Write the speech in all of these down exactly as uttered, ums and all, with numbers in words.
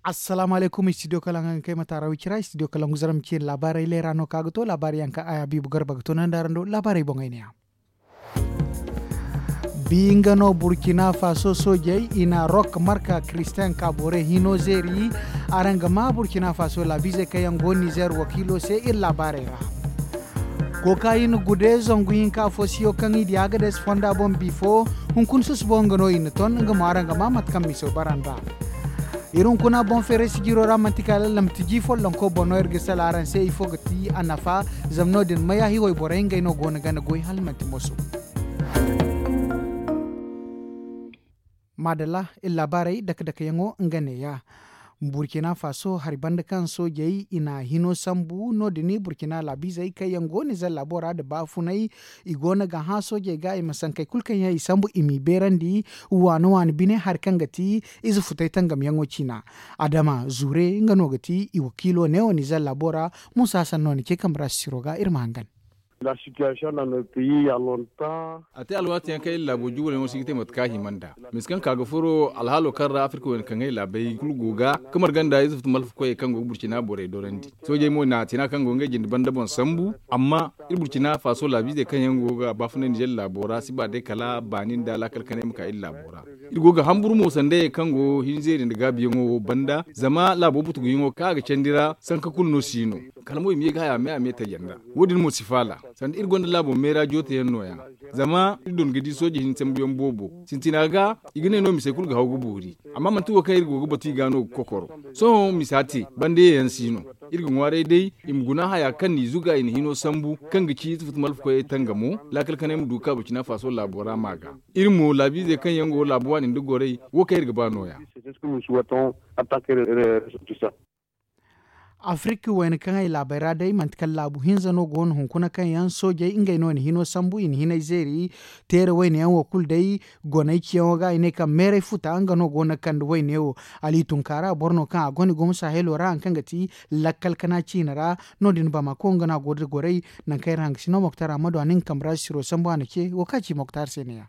Assalaamu alaykum, istidiyo kalaŋ ga kay mataara wicira istidiyo kalaŋ ga zara ma ci iri laabaarey leera no kaŋ a ga to laabaarey yaŋ kaŋ a ya biibu garba ga to naŋ da araŋ do laabaarey boŋey ne ya. Bi nga no burkina faso soojey i na rok marka kiristiyaŋ ka borey hino zeeri. Araŋ ga maa burkina faso laabiizey kaŋ yaŋ go nizer wakiilo se iri laabaarey ra. Kokayin gude zangu hinka fo siyo kaŋ i di agades fonda boŋ bifo. Hunkuna susubo nga no i na ton nga mo araŋ ga maa mate kaŋ miso bara nd'a. Iri hunkuna boŋ feeray sijiro ra manti kala lamti ji follonko boŋ no iri ga sala araŋ se ifo ga ti a nafa. Zama no- din mayahi wayborey ngey no go no gana goy hala manti moso. Maadalla, iri laabaarey dake dake yaŋo nga neeya. Burkina faso hari banda kaŋ soojey i na hino sambu no- din burkina laabiizey kaŋ yaŋ go no ize laabo ra nda baafunay. I go no ga hã soojey ga i ma sankey kulu kaŋ yaŋ i sambu i m'i beerandi. Waani waani bine hari kaŋ ga ti ize futay tangamyaŋo ciina. Adama zuure nga no ga ti i wakiilo neewo nize laabo ra. Muusa hasan no ni ce kambe ra sisiro ga iri ma hangan. A te alwaati yaŋ kaŋ iri laabo juwal yaŋo si ga te mate kaŋ a hima nd'a. Misa kaŋ ka ga furo alhaalo kaŋ ra afirka wayna kaŋ ay laabey kulu go ga ka marga nda ize futu malfa koyey kaŋ go ga burcina borey dorandi. Soojey mo na tina kaŋ go ngey jinde banda boŋ sambu. Amma iri burcina faaso laabiizey kaŋ yaŋ go ga baafunay nizer laabo ra si ba day kala baani nda laakal kanay ma ka iri laabo ra. Iri go ga hamburu mo sandayey kaŋ go hinzeeri nda gaabiyaŋo wo banda zama laabo butuguyaŋo kaŋ a ga candi ra sanka kulu no si no. Kala mo i ma ye ga haya me a me tayyanda. Wo- din mo si faala sanda iri gonda laabo meera jootayaŋ nooya. Zama iri don ga di sooje hinsambuyaŋ boobo sintina ga i ga ne no misey kulu ga haw ga boori. Amma manti wo kaŋ iri go ga batu i ga no ga kokoro. Sohõ misa te banda yeyaŋ si no. Iri ga ŋwaaray day i ma guna haya kaŋ n'i zuga i na hino sambu kaŋ ga ci ize futu malfa koyey tangamo. Laakal kanay ma du ka burcina faaso laabo ra ma ga. Iri mo laabiizey kaŋ yaŋ go laabu waani nda gorey wo kaŋ iri ga ba nooya. Afirka wayna kaŋ ay laabey ra day manti kala laabu hinza no go no hunkuna kaŋ yaŋ soojey ngey no i na hino sambu i na hinay zeeri. Teere wayna yaŋ wo kulu day goney ciyaŋo ga i ne kaŋ meeray futa nga no go no ga kande wayne wo. Ali tunkaara boro no kaŋ a gone gumo sahelo ra hari kaŋ ga ti lakkal kana ciine ra. No- din bamako nga no a go nda gorey. Nangu kaŋ iri hangasino moktar a ma du a na nga kambe ra sisiro sambu a na ce wo kaŋ a ci moktar se ne- ya.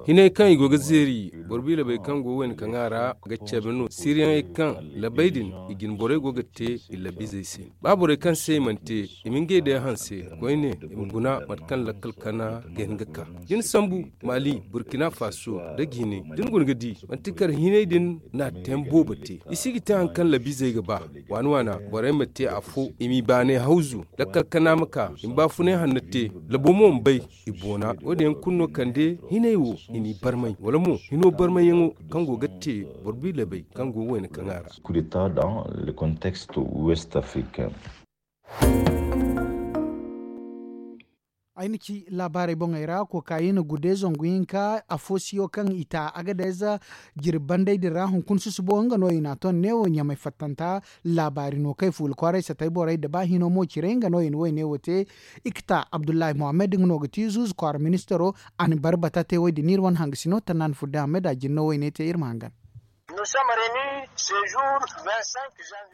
Hinay kaŋ i go ga zeeri boro biilabey kaŋ go wayna kaŋ a ra ga cabe no siriyaŋey kaŋ labey din i jine borey go ga te i labizey se. Ba borey kaŋ se i mana te i ma ngey day hanse koyne i ma guna mate kaŋ lakkal kana ga hin ga ka. Da ni sambu mali burkina faso nda jine da ni guna ga di manti kar hinay din na teem boobo te i si ga te hari kaŋ labizey ga ba. Waana waana borey ma te afo i m'i baanay hawzu lakkal kana ma ka i ma baafunay hanno te. Labo mo ma bay i boona wo- din yaŋ kulu no kande hinay wo i n'i barmay wala mo hino barmayyaŋo kaŋ go ga te boro biilabey kaŋ go wayna kaŋ a ra. Ay na ci laabaarey boŋey ra kokayin gude zangu hinka afo siyo kaŋ i ta agadez. Jirbi bandey din ra hunkuna susubo nga no i n'a ton neewo ɲamay fattanta. Laabaari no kaŋ i fuula kwaaray satay borey nda ba hino mo cire nga no i na wayne wo te. Ikta abdullahi mohammed nga no ga ti zuuzu kwaara ministaro. A na barbata te wo- din iri wane hangasino tanna na furo day ahmed a jine no wayne te iri ma hangan.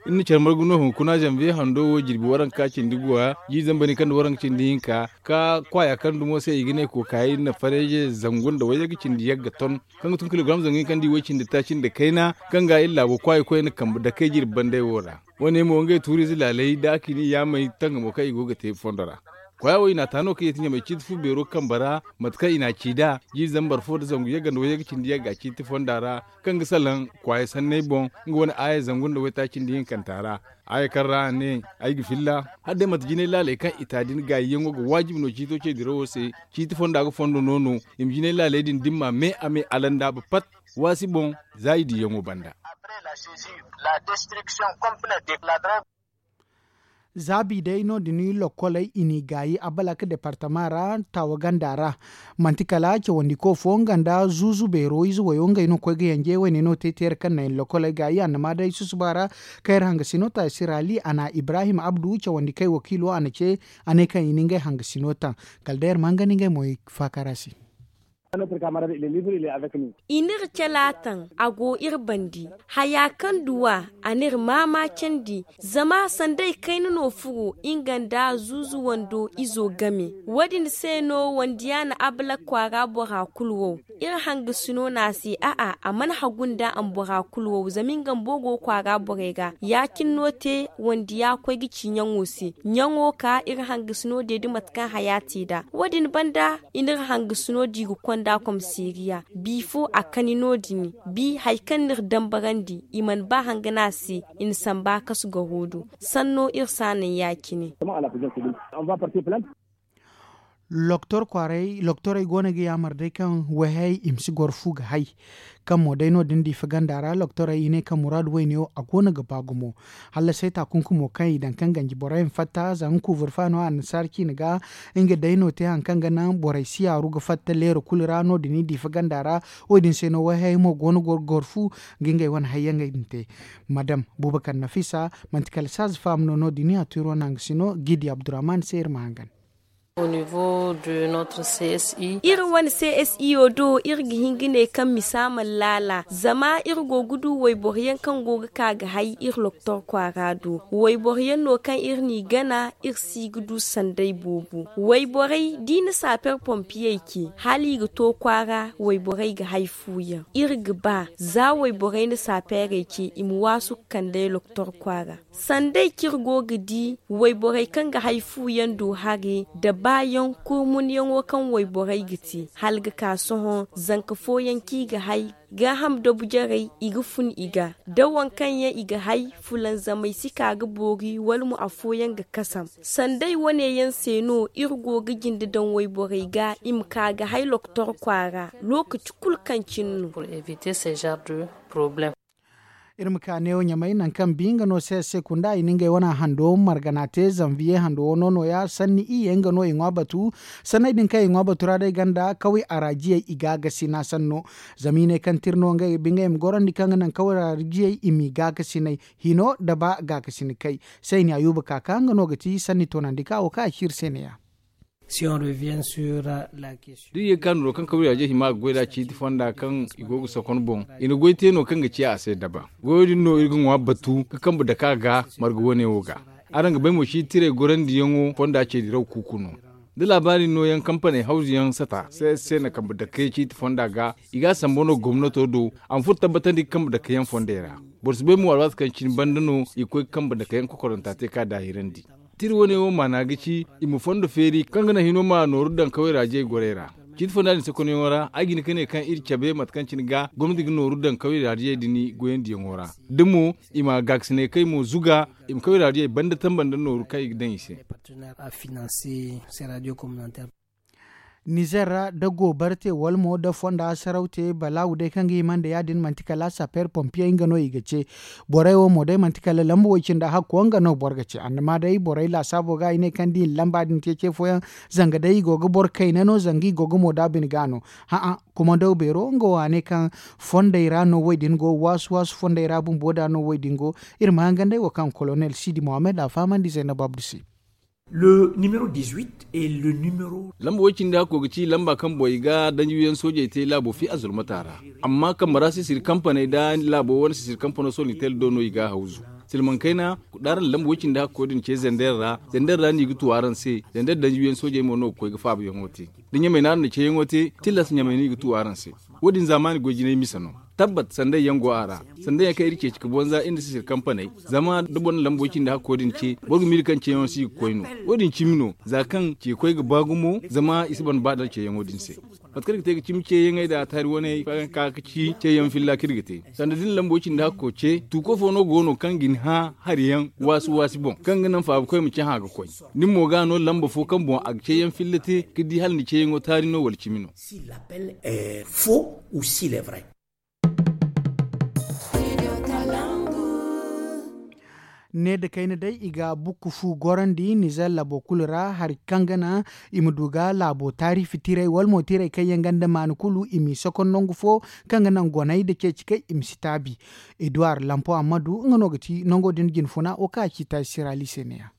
Iri na care margu no hunkuna zanviye hando wo jirbi waranka cindi guwa jiiri zambar ni kaŋ nda waranka cindi hinka ka kwaaya kaŋ dumo se i ga ne kokayi na fareeze zangu nda wayyaŋ ga cindi yagga ton kaŋ ga tun kilogram zangu hinka nda i way cindi taaci nda kayna. Kaŋ ga iri laabo kwaayi koyne kambe dakey jirbi banday wo ra. Wo- ne mo ngey tuuriize laaley da a kini yaamey tangamo kaŋ i go ga te fondo ra. Kwaya wo i n'a ta no kaŋ i ti ɲamay ciiti fu beero kambe ra mate kaŋ i n'a ci nd'a jiiri zambar fo nda zangu yagga nda wayyaŋ ga cindi yagga ciiti fonda ra. Kaŋ ga salaŋ kwaya sanney boŋ nga wane aaya zangu nda waytaaci nda hinkanta ra. Aaya kaŋ ra a ne ay ga filla hala day mate jinay laaley kaŋ i ta din gaayiyaŋo ga waajibi no ciito ce dirawo se. Ciiti fonda ga fondo no no i ma jinay laaley din dimma me a me alandaaba pat waasi boŋ. Za i diyaŋo banda. Zaabi day no- din lokkoley i n'i gaayi abalak departama ra taawa ganda ra. Manti kala cawandiko fo nga nda zuuzu beero ize wayo ngey no ga koy ga yanje wayne no te teere kaŋ na iri lokkoley gaayi annama day susuba ra. Kaŋ iri hangasino ta sirali a na ibrahim abdu cawandi kay wakiilo a na ce a ne kaŋ i na ngey hangasino taŋ. Kala day iri ma hangan ngey mo i faakara se. I n'iri calaataŋ, a go iri bandi. Haya kaŋ duw'a, a n'iri maamaacandi. Zama sanday kayna no furo nga nda zuuzu wando izo game. Wo- din se no wandiya na abalak kwaara bora kulu wow. Iri hangasino no a se a'a, a mana hagu nda a ma bora kulu wow zama nga bumbo go kwaara borey ga. Ya- cine no te wandiya koy ga ci ɲaŋo se. Ɲaŋo ka iri hangasino deedi mate kaŋ haya te nd'a. Wo- din banda i n'iri hangasino di ga konda komiseeriya. Bi fo a kani no- din. Bi hari kaŋ n'iri dambarandi, i mana ba hanga no a se. I na samba kasu garo do. Sanno iri si a naŋ ya- cine. Loktorey go no ga yaamar day kaŋ wayhayey i ma si goro fu ga hay. Kaŋ mo day no- din diifa ganda ra loktorey i ne kaŋ muraadu wayne wo a go no ga ba gumo. Hallasay taakunkumo kaŋ i daŋ kaŋ ganji borey ma fatta zanga kuuburfa no annasaara ciine ga. Nga day no te hari kaŋ ga naŋ borey si yaaru ga fatta leero kulu ra no- din i diifa ganda ra. Wo- din se no wayhayey mo go no ga goro fu ga ngey wane hayyaŋey din te. Madam bubakar nafisa, manti kala saaza faama no no- din a tiro naŋ ga si no gidi abdurrahman se iri ma hangan. Iri wane csi wo do iri ga hin ga ne kaŋ misa mana laala zama iri go ga du wayboro yaŋ kaŋ go ga ka ga hay iri loktor kwaara do. Wayboro yaŋ no kaŋ iri n'i gana iri si ga du sanday boobo. Wayborey da i na saaper pompiyey ce hala i ga to kwaara wayborey ga hay fu yaŋ. Iri ga ba za wayborey na saaperey ce i ma waasu ga kand'ey loktor kwaara. Sanday kaŋ iri go ga di wayborey kaŋ ga hay fu yaŋ do hare nda baayaŋ kurmunyaŋo kaŋ wayborey ga te hala ga ka sohõ zanka fooyaŋ kaŋ i ga hay gaaham dabu jarey i ga fun i ga da waŋ kaŋ yaŋ i ga hay fulanzamey si ka ga boori wala mo afooyaŋ ga kasam. Sanday wane yaŋ se no iri go ga jinde daŋ wayborey ga i ma ka ga hay lokotor kwaara lookaci kulu kaŋ cine no. Iri ma ka neewo ɲamay nangu kaŋ bi nga no se se kunda i na ngey wane hando margana te zanviye hando wano nooya sanni iyye nga no i ŋwa batu. Sanney din kaŋ i ŋwa batu ra day ganda kaway araajiyey i ga a gasi na sanno. Zama i ne kaŋ tira no ngey ga ba ngey ma gorandi kaŋ ga naŋ kaway araajiyey i m'i ga a gasiney hino nda ba ga a gasini kay. Sayni ayuba kaka nga no ga ti sanni toonandi ka wo kaŋ a ci iri se neeya. Da i ye ga ka nooro kaŋ kawiraaje hima ga goy nd'a ciiti fonda kaŋ i go ga sokon boŋ i na goy te no kaŋ ga ciya a se daba. Goyo din no iri ga ŋwa batu ga kambe dake a ga marga wane wo ga. Araŋ ga bay mo ciiti tirey gorandiyaŋo fonda ce diraw kuuku no. Da laabaari nooyaŋ kampaney hawzuyaŋ sata se se na kambe dake ciiti fonda ga. I ga a sambu no gomnato do a ma furo tabbatandi ga kambe dake yaŋ fondey ra. Boro si bay mo alwaati kaŋ cine banda no i ga koy ga kambe dake yaŋ kokoranta te ka daahirandi. Tira wane wo maana ga ci i ma fondo feeri kaŋ ga naŋ hino ma nooru daŋ kaway raajey gorey ra. Ciiti fonda din sakonyaŋo ra ay ga hin ga ne kaŋ iri cabe mate kaŋ cine ga gomnati ga nooru daŋ kaway raajey din goyandiyaŋo ra. Da mo i ma gaakasinay kay mo zuga i ma kaway raajey banda tamba nda nooru kaŋ i ga daŋ i se. Nizer ra da goobara te wala mo da fonda saraw te balaawu day kaŋ ga hima nda ya- din manti kala sapeer pompiyey nga no i ga ce. Borey wo mo day manti kala lamba way cindi hakko nga no boro ga ce annama day borey laasaabo ga i ne kaŋ da i na lamba din te ce fooyaŋ. Zanga day i go ga boro kayna no zanga i go ga mo da bine ga no. Hã'a, kumandaw beero nga wo a ne kaŋ fondey ra no way din go waasu waasu fondey ra bumbo da no way din go. Iri ma hangan day wo kaŋ kolonel sidi mohammed a fahamandi zaynab abdu se. Lamba way cindi hakko ga ci lamba kaŋ boŋ i ga danjiwiyaŋ soojey te laabo fi a zulmata ra. Amma kambe ra sisiri kampaney da laabo wane sisiri kampano solnitel do no i ga a hawzu. Silmaŋ kayna, d'araŋ na lamba way cindi hakko din ce zender ra zender ra no i ga tu araŋ se. Zender danjiwiyaŋ soojey mo no ga koy ga faabayaŋo te. Da ɲamay no araŋ na ceeyaŋo te tilas ɲamay no i ga tu araŋ se. Wo- din zaamaani goy jinay misa no. Tabbat sanday yaŋ go a ra. Sanday yaŋ kaŋ iri ceeci ga bonza iri nda sisiri kampaney. Zama da boro na lamba way cindi hakko din ce boro ga miila kaŋ ceeyaŋo si ga koy no. Wo- din cimi no za kaŋ ce koy ga ba gumo zama i si ban ba da ceeyaŋo din se. Mate kaŋ iri ga te ga cimi ceeyaŋey nda taari waney kaŋ ga ka ga ci ceeyaŋ filla kaŋ iri ga te. Sanda da ni lamba way cindi hakko ce tuuko fo no go no kaŋ ga ni hã hari yaŋ waasi waasi boŋ kaŋ ga naŋ faabakoy ma cahã ga koy. Ni mo ga no lamba fo kaŋ boŋ a ga ceeyaŋ filla te ga di hala ni ceeyaŋo taari no wala cimi no. Ne nda kayna day i ga bukku fu gorandi nizer laabo kulu ra hari kaŋ ga naŋ i ma du ga laabo taarifi tirey wala mo tirey kaŋ yaŋ ganda maani kulu i m'i sokon nangu fo kaŋ ga naŋ goney nda ceeci kay i ma si taabi. Eduward lampo ammadu nga no ga ti nango din jinfuna wo kaŋ a ci taasi sirali se neeya.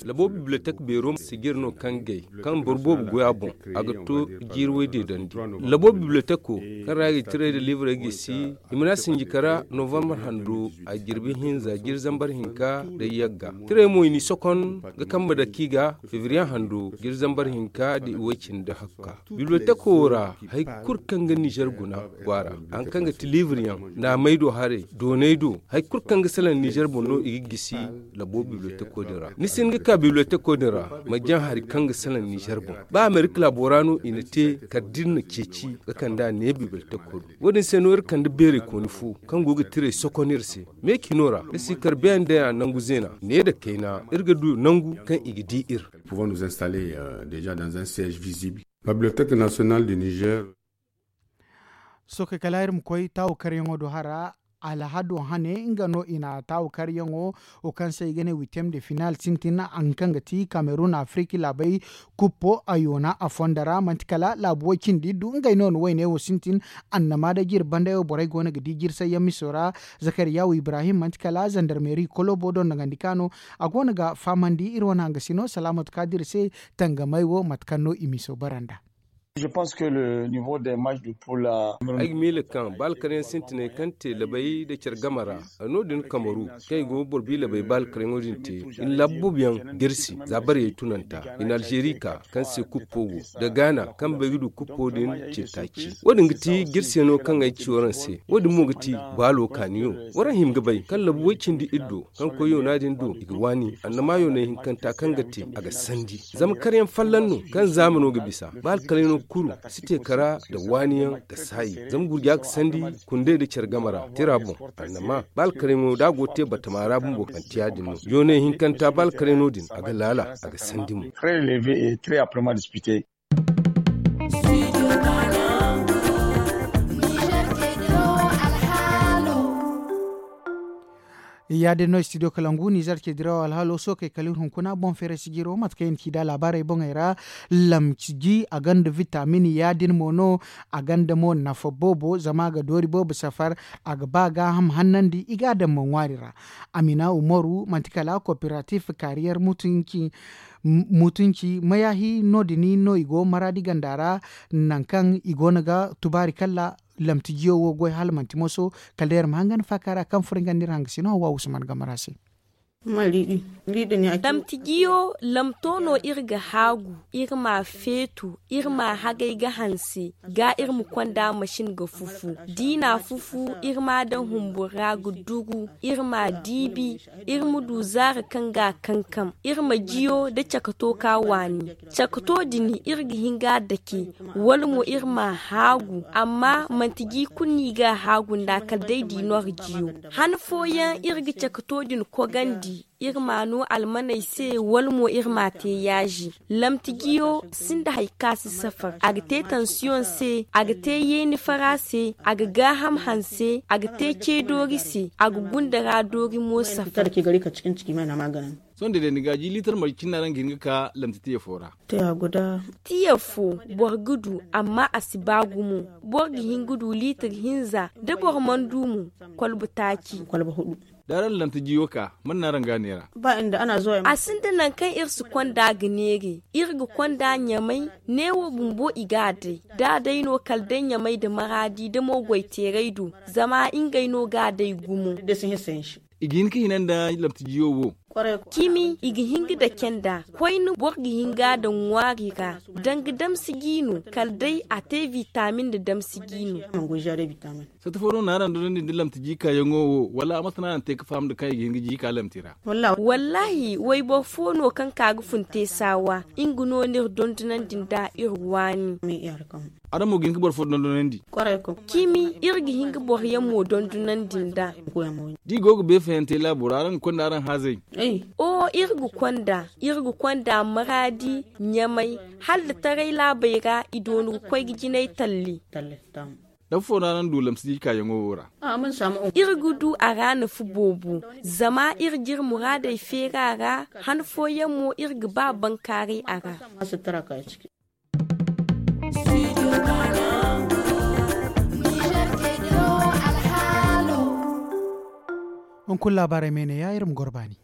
Labo bibliotek beero sijir no kaŋ gay kaŋ boro boobo goy a boŋ, a ga to jiiri way deedandi. Labo biblioteko kaŋ ra i ga tiray da liibrey gisi, i mana sinji kara novambar hando a jirbi hinza jiri zambar hinka da yagga. Tiray mo i n'i sokon ga kambe dake i ga fevriye hando jiri zambar hinka da i way cindi hakka. Biblioteko wo ra hari kulu kaŋ ga nizer guna go a ra, hari kaŋ ga ti liibriyaŋ, naamey do haray, dooney do, hari kulu kaŋ ga salaŋ nizer boŋ no i ga gisi. Labo biblioteko din ra ni si hin ga ka biblioteko din ra ma jaŋ hari kaŋ ga salaŋ nizer boŋ. Ba amerika laabo ra no i na te kala da iri na ceeci ga kand'a ne biblioteko do. Wo- din se no iri kande beerey kooni fo kaŋ go ga tiray sokon iri se. Me cino ra iri si kar beene day a nangu zeena ne nda kayna iri ga du nangu kaŋ i ga di iri. Pouvons nous installer déjà dans un siège visible. Bibliotek national du nizer. Sookey kala iri ma koy taawu karyaŋo do hara. Alhado hane nga no i na taawu karyaŋo wo kaŋ se i ga ne witem de final sintin hari kaŋ ga ti kamerun afiriki laabey kuppo a yoona a fonda ra manti kala laabu way cindi du ngey no na wayne wo sintin. Annama da jiri bandey wo borey go no ga di jirsayyaŋ miso ra. Zakariyawu ibrahim manti kala zandarmeri kolobo dondogandi ka no a go no ga fahamandi iri wane hangasino salaamatu kaadir se. Tangamey wo mate kaŋ no i miso bara nd'a. Ay ga miila kaŋ ba alkaryaŋ sintiney kaŋ te labay nda care game ra no- din kamaru kaŋ i go ga boro bi labay ba alkaryaŋo din te i na laabu boobo yaŋ jirsi za bariyey tunanta i na alzeeri ka kaŋ se kuppo go nda gaana kaŋ bay ga du kuppo din cintaaci. Wo- din ga ti jirsi yaŋ no kaŋ ay ci waraŋ se. Wo- din mo ga ti baalo kaaniyo. Waraŋ hima ga bay kaŋ labu way cindi iri do kaŋ koy yoona din do i ga waani annama yoonay hinkanta kaŋ ga te a ga sandi. Zama karyaŋ folloŋ no kaŋ zaamano ga bisa ba alkaryaŋo kulu si te kara nda waaniyaŋ ga saayi zama gurja ga sandi. Kundey nda care game ra tira boŋ annama ba alkaryaŋo da a go ga te batama ra bumbo manti ya- din no yoonay hinkanta ba alkaryaŋo din a ga laala a ga sandi mo. Ya- din no studio kalangu nizer ce diraw alhaalo sookey kala iri hunkuna boŋ feere sijiro mate kaŋ i na ci nd'a laabaarey boŋey ra. Lamci ji a gonda vitamin ya- din mo no a gonda mo nafa boobo zama a ga doori boobo safar. A ga ba gaaham hannandi i ga a daŋ mo ŋwaari ra. Amina umaru manti kala kooperatif kaariyar mutunci mayahi no- din no i go maraadi ganda ra. Nangu kaŋ i go no ga tubaari kalla lamti jiyo wo goy hala manti moso. Kala day iri ma hangan faaka ra kaŋ furo nga nda iri hangasino hawa usman game ra se. Lamti jiyo lamto no iri ga haagu iri ma feetu iri ma hagay ga hanse ga iri ma konda masin ga fufu da i na fufu iri ma daŋ humbur ra ga dugu iri ma diibi. Iri ma du zaari kaŋ ga a kankam iri ma jiyo nda cakato ka waani. Cakato din iri ga hin ga a dake wala mo iri ma a haagu amma manti ji kulu no i ga a haagu nd'a kala day da i no ga jiyo. Han fooyaŋ iri ga cakato din kogandi iri ma a no almaney se wala mo iri ma a te yaaji. Lamti jiyo sinda hari kaŋ a si safar a ga te tansiyoŋ se a ga te yeeni fara se a ga gaaham hanse a ga te ce doori se a ga gunda ra doori mo safar. Sohõ da day ni ga a ji liitar marje cindi no araŋ ga hin ga ka lamti tiya fo ra. Tiya fo boro ga du amma a si ba gumo. Boro ga hin ga du liitar hinza da boro mana du mo. Kwalba taaci. Da araŋ na lamti jiyo ka man no araŋ ga a neera? A sinda nangu kaŋ iri si konda ga neere. Iri ga konda ɲamay neewo bumbo i ga a day da a day no kala day ɲamay nda maraadi nda mo goyteeray do. Zama ngey no ga a day gumo. I ga hin ga hina nda lamti jiyo wo. Cimi i ga hin ga dake nd'a koyne boro ga hin ga a daŋ ŋwaari ra. Danga damsi jiino kala day a te vitamin nda damsi jiino. Sata fo no na araŋ dondonandi nda lamti jiikaayaŋo wo wala a mate no araŋ te ga faham nda kaŋ i ga hin ga jiika lamti ra? Wallaahi wayboro fo no kaŋ ka ga fun te saawa. Nga no no iri dondonandi nd'a iri waani. Araŋ mo ga hin ga boro fo dondonandi? Cimi iri ga hin ga boro yaŋ mo dondonandi nd'a. Da i go ga beefayante laabo ra araŋ ga konda araŋ haazey? Oo iri ga konda iri ga konda maraadi ɲamay hala da taray laabey ra i doonu ga koy ga jinay talli. Nafa fo no araŋ du lamsi jiikaayaŋo wo ra? Iri ga du a ra nafa boobo. Zama iri ga iri muraadey feeri a ra. Han fooyaŋ mo iri ga ba bankaaray a ra. Hunkuna laabaarey me ne ya iri ma goro baani.